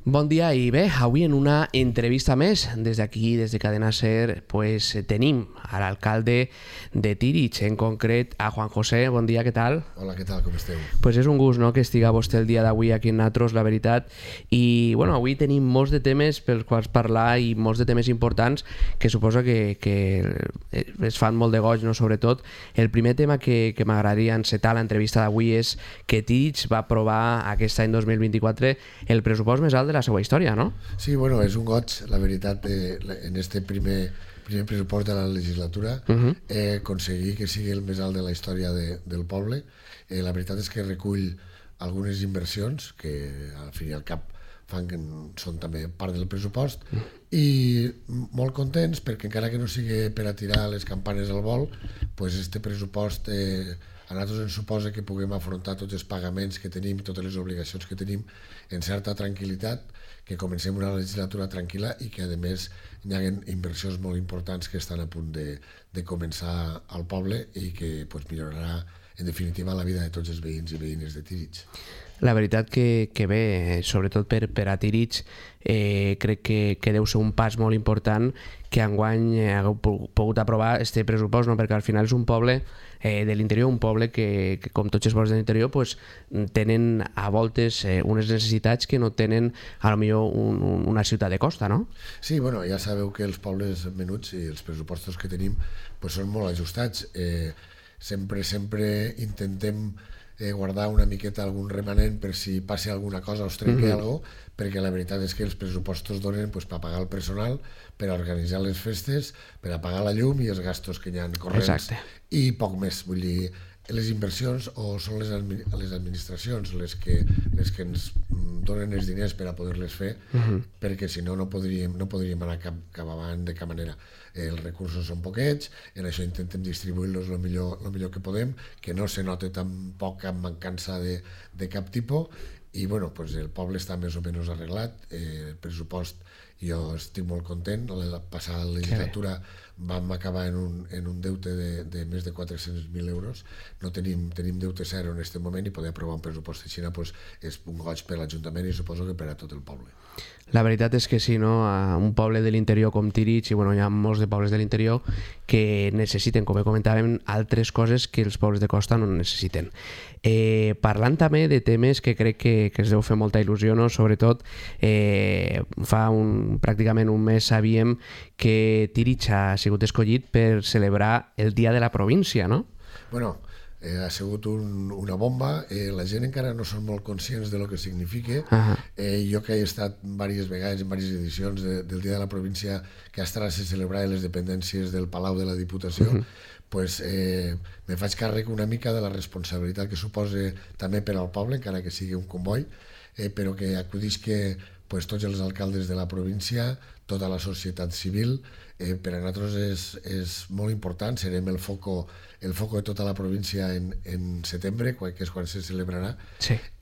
Bon dia i bé, avui en una entrevista més des d'aquí, des de Cadena Ser, tenim a l'alcalde de Tírig, en concret a Juan José. Bon dia, què tal? Hola, què tal, com esteu? És un gust, no?, que estiga vostè el dia d'avui aquí en nosaltres, la veritat. I avui tenim molts de temes pels quals parlar i molts de temes importants que suposa que es fan molt de goig, no?, sobretot. El primer tema que m'agradaria encetar l'entrevista d'avui és que Tírig va aprovar aquest any 2024 el pressupost més alt de la seva història, no? Sí, bueno, és un goig, la veritat, en este primer pressupost de la legislatura aconseguir que sigui el més alt de la història del poble. La veritat és que recull algunes inversions que al fi i al cap són també part del pressupost i molt contents perquè encara que no sigui per a tirar les campanes al vol, este pressupost a nosaltres ens suposa que puguem afrontar tots els pagaments que tenim, totes les obligacions que tenim en certa tranquil·litat, que comencem una legislatura tranquil·la i que a més hi ha inversions molt importants que estan a punt de començar al poble i que millorarà en definitiva la vida de tots els veïns i veïnes de Tírig. La veritat que bé, sobretot per a Tírig, crec que deu ser un pas molt important que enguany hagueu pogut aprovar este pressupost, no? Perquè al final és un poble de l'interior, un poble que com tots els pobles de l'interior tenen a voltes unes necessitats que no tenen a lo millor una ciutat de costa, no? Sí, bueno, ja sabeu que els pobles menuts i els pressupostos que tenim són molt ajustats. Sempre intentem guardar una miqueta algun remanent per si passi alguna cosa o es trenqui alguna cosa, perquè la veritat és que els pressupostos donen per pagar el personal, per organitzar les festes, per a pagar la llum i els gastos que hi ha corrents. Exacte. I poc més, vull dir, les inversions o són les administracions les que ens donen els diners per a poder-les fer, perquè si no podríem anar cap avant de cap manera. Els recursos són poquets, en això intentem distribuir-los el millor que podem, que no se noti tampoc cap mancança de cap tipus, i el poble està més o menys arreglat. El pressupost, jo estic molt content. La passada legislatura vam acabar en un deute de més de 400.000 euros. No tenim deute zero en aquest moment i poder aprovar un pressupost així és un goig per l'Ajuntament i suposo que per a tot el poble. La veritat és que sí, no? Un poble de l'interior com Tírig, i hi ha molts de pobles de l'interior que necessiten, com comentàvem, altres coses que els pobles de costa no necessiten. Parlant també de temes que crec que es deu fer molta il·lusió, no? Sobretot fa pràcticament un mes sabíem que Tírig ha sigut escollit per celebrar el Dia de la Província, no? Bueno, ha sigut una bomba. La gent encara no són molt conscients de lo que significa. Jo que he estat diverses vegades en diverses edicions del Dia de la Província que a Estrada se celebrava les dependències del Palau de la Diputació, me faig càrrec una mica de la responsabilitat que suposa també per al poble, encara que sigui un comboi, però que acudisca tots els alcaldes de la província, tota la societat civil. Per a nosaltres és molt important, serem el foco de tota la província en setembre, que és quan se celebrarà,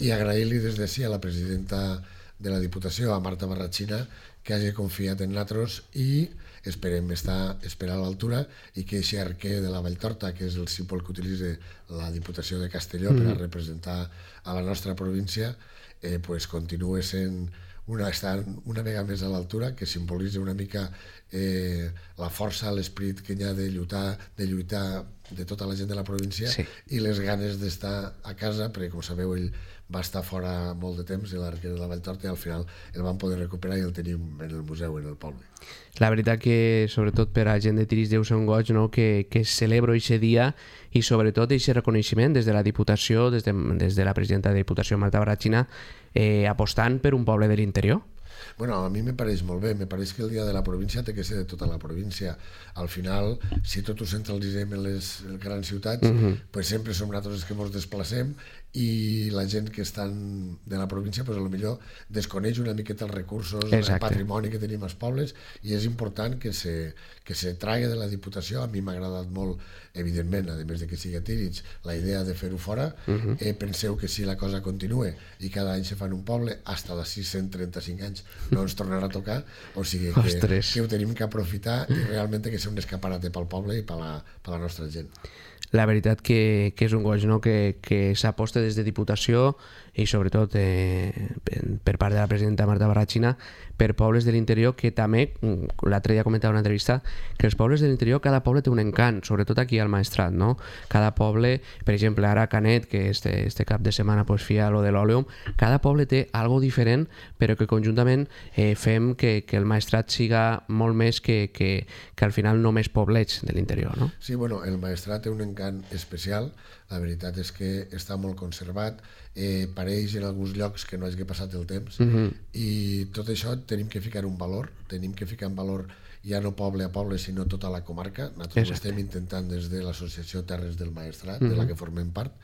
i agrair-li des d'ací a la presidenta de la Diputació, a Marta Barratxina, que hagi confiat en nosaltres i esperem estar a l'altura i que aquest arquer de la Valltorta, que és el símbol que utilitza la Diputació de Castelló per a representar a la nostra província, continuï sent una vegada més a l'altura, que simbolitza una mica la força, l'esperit que hi ha de lluitar de tota la gent de la província i les ganes d'estar a casa, perquè com sabeu ell va estar fora molt de temps, l'arquer de la Valltorta, i al final el vam poder recuperar i el tenim en el museu, en el poble. La veritat que sobretot per a gent de Tírig deu ser un goig, no?, que es celebra aquest dia i sobretot aquest reconeixement des de la Diputació, des de la presidenta de la Diputació, Marta Barratxina, apostant per un poble de l'interior. Bueno, a mi me pareix molt bé, me pareix que el dia de la província té que ser de tota la província. Al final, si tot ho centralitzem en les grans ciutats, sempre som nosaltres els que ens desplacem i la gent que estan de la província potser desconeix una miqueta els recursos, el patrimoni que tenim als pobles, i és important que se tragui de la Diputació. A mi m'ha agradat molt, evidentment, a més de que sigui a Tírig, la idea de fer-ho fora. Penseu que si la cosa continua i cada any se fan un poble, fins d'ací 135 anys no ens tornarà a tocar, o sigui que ho tenim que aprofitar i realment que sigui un escaparate pel poble i per la nostra gent. la veritat que és un goig, no? Que s'aposta des de Diputació i sobretot per part de la presidenta Marta Barrachina per pobles de l'interior, que també l'altre dia comentava en una entrevista que els pobles de l'interior, cada poble té un encant, sobretot aquí al Maestrat, no? Cada poble, per exemple ara Canet, que este cap de setmana pues, fia lo de l'Òleum, cada poble té algo diferent, però que conjuntament fem que el Maestrat siga molt més que al final només poblets de l'interior, no? Sí, bueno, el Maestrat té un encant especial, la veritat és que està molt conservat, pareix en alguns llocs que no hagi passat el temps, i tot això tenim que ficar un valor, tenim que ficar en valor ja no poble a poble, sinó tota la comarca. Nosaltres ho estem intentant des de l'Associació Terres del Maestrat, de la que formem part,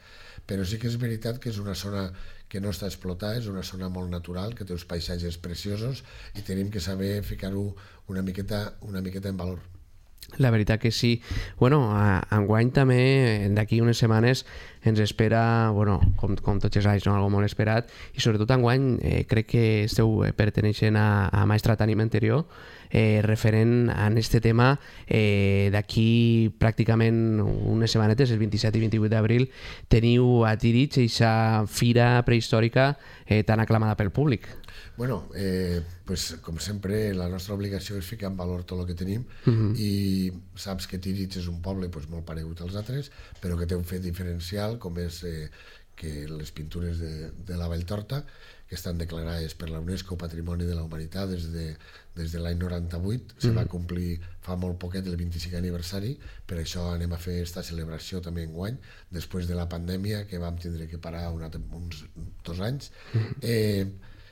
però sí que és veritat que és una zona que no està explotada, és una zona molt natural, que té uns paisatges preciosos i tenim que saber ficar-ho una miqueta en valor. La veritat que sí. Bueno, enguany també, d'aquí unes setmanes, ens espera, bueno, com tots els anys, no? Algo molt esperat, i sobretot enguany crec que esteu perteneixent a Maestrat Ànima Interior, referent a este tema. D'aquí pràcticament unes setmanetes, el 27 i 28 d'abril, teniu a Tírig aquesta fira prehistòrica tan aclamada pel públic. Bueno, pues, com sempre, la nostra obligació és ficar en valor tot el que tenim, i saps que Tírig és un poble pues, molt paregut als altres, però que té un fet diferencial, com és que les pintures de la Valltorta, que estan declarades per la UNESCO Patrimoni de la Humanitat des de l'any 98, se va complir fa molt poquet el 25è aniversari, per això anem a fer aquesta celebració també enguany, després de la pandèmia, que vam tindre que parar uns 2 anys.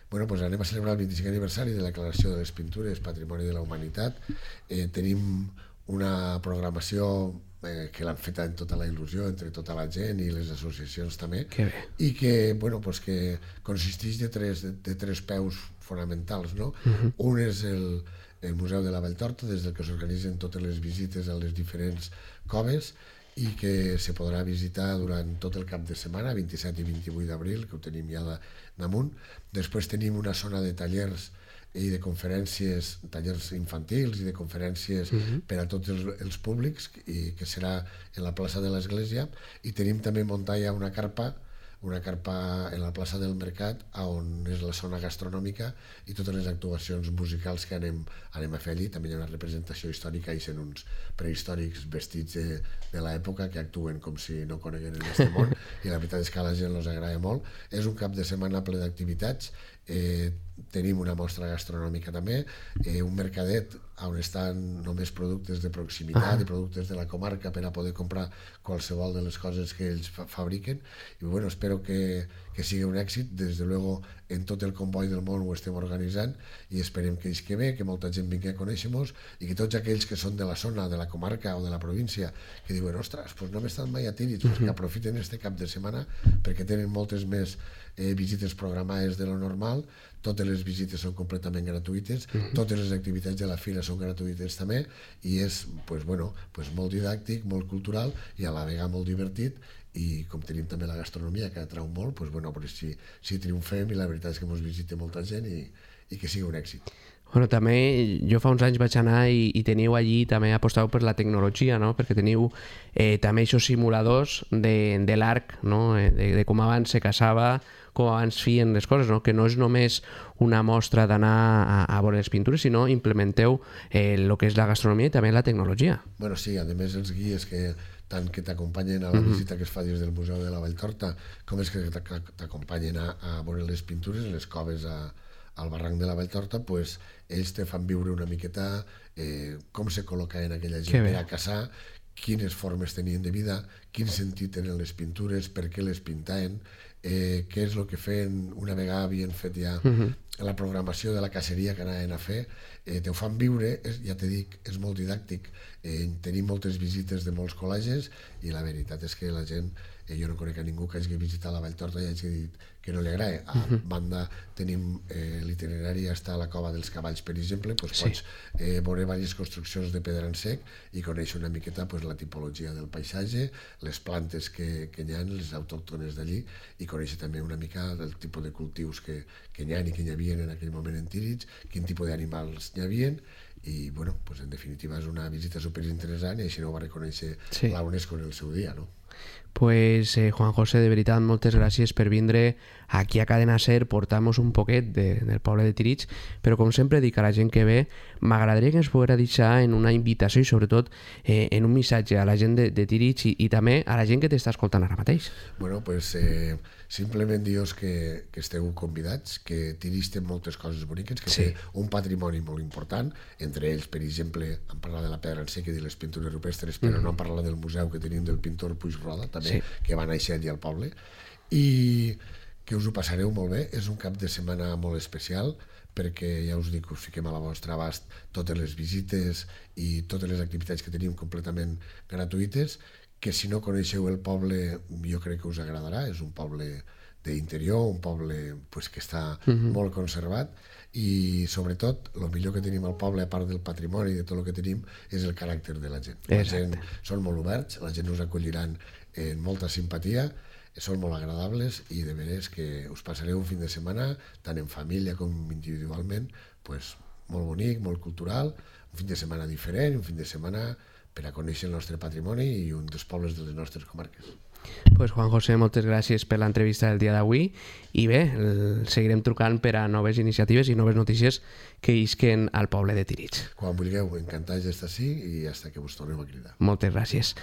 Bueno, pues anem a celebrar el 25è aniversari de la declaració de les pintures Patrimoni de la Humanitat. Tenim una programació que l'han fet amb tota la il·lusió entre tota la gent i les associacions també, i que, bueno, pues que consisteix de tres peus fonamentals, no? Un és el Museu de la Valltorta, des del que s'organitzen totes les visites a les diferents coves, i que se podrà visitar durant tot el cap de setmana, 27 i 28 d'abril, que ho tenim ja damunt. Després tenim una zona de tallers i de conferències, tallers infantils i de conferències per a tots els públics, i que serà en la plaça de l'Església, i tenim també muntada ja una carpa en la plaça del Mercat, on és la zona gastronòmica i totes les actuacions musicals que anem a fer allí. També hi ha una representació històrica i són uns prehistòrics vestits de l'època que actuen com si no conegueren aquest món, i la veritat és que a la gent els agrada molt. És un cap de setmana ple d'activitats. Tenim una mostra gastronòmica també, un mercadet on estan només productes de proximitat i productes de la comarca per a poder comprar qualsevol de les coses que ells fabriquen, i bueno, espero que sigui un èxit. Des de luego en tot el comboi del món ho estem organitzant i esperem que isque bé, que molta gent vingui a conèixer-nos, i que tots aquells que són de la zona, de la comarca o de la província, que diuen, ostres, pues no hem estat mai a Tírig, pues que aprofiten este cap de setmana, perquè tenen moltes més visites programades de lo normal. Totes les visites són completament gratuïtes, totes les activitats de la fira són gratuïtes també, i és molt didàctic, molt cultural i a la vegada molt divertit. I com tenim també la gastronomia, que atrau molt, si triomfem, i la veritat és que ens visita molta gent i que sigui un èxit. Bueno, també jo fa uns anys vaig anar i teniu allí, també aposteu per la tecnologia, no? Perquè teniu també aquests simuladors de l'arc, no? De com abans se caçava, com abans feien les coses, no? Que no és només una mostra d'anar a veure les pintures, sinó implementeu el que és la gastronomia i també la tecnologia. Bueno, sí, a més els guies tant que t'acompanyen a la visita que es fa des del Museu de la Valltorta, com és que t'acompanyen a veure les pintures, les coves al barranc de la Valltorta, pues, ells te fan viure una miqueta com se col·locaven aquella gent per a caçar, quines formes tenien de vida, quin sentit tenen les pintures, per què les pintaven, què és el que feien una vegada havien fet ja la programació de la caceria que anaven a fer. Te ho fan viure, ja t'he dit, és molt didàctic. Tenim moltes visites de molts col·legis i la veritat és que la gent, jo no conec a ningú que hagi visitat la Valltorta i hagi dit no li agrada. A banda tenim l'itinerari hasta la Cova dels Cavalls, per exemple, pots veure diverses construccions de pedra en sec i conèixer una miqueta la tipologia del paisatge, les plantes que hi ha, les autòctones d'allí, i conèixer també una mica del tipus de cultius que hi ha i que hi havia en aquell moment en Tírig, quin tipus d'animals hi havia, i bueno, en definitiva és una visita superinteressant i així no ho va reconèixer la UNESCO en el seu dia, no? Pues Juan José, de veritat, moltes gràcies per vindre aquí a Cadena Ser, portar-nos un poquet del poble de Tírig, però com sempre dic a la gent que ve, m'agradaria que ens poguera deixar en una invitació i sobretot en un missatge a la gent de Tírig i també a la gent que t'està escoltant ara mateix. Bueno, pues simplement dir-vos que esteu convidats, que Tírig té moltes coses boniques, que té un patrimoni molt important, entre ells, per exemple, hem parlat de la pedra en sec i de les pintures rupestres, però no hem parlat del museu que tenim del pintor Puigroda, també, que va néixer allà al poble, i que us ho passareu molt bé. És un cap de setmana molt especial, perquè ja us dic, us fiquem a la vostra abast totes les visites i totes les activitats que tenim completament gratuïtes, que si no coneixeu el poble jo crec que us agradarà. És un poble d'interior, un poble que està molt conservat, i sobretot el millor que tenim al poble, a part del patrimoni i de tot el que tenim, és el caràcter de la gent. La gent són molt oberts, la gent us acolliran amb molta simpatia, són molt agradables i de veres que us passareu un fin de setmana, tant en família com individualment, molt bonic, molt cultural, un fin de setmana diferent, un fin de setmana per a conèixer el nostre patrimoni i un dels pobles de les nostres comarques. Pues Juan José, moltes gràcies per l'entrevista del dia d'avui i bé, seguirem trucant per a noves iniciatives i noves notícies que isquen al poble de Tírig. Quan vulgueu, encantats d'estar així i fins que vos torneu a cridar. Moltes gràcies.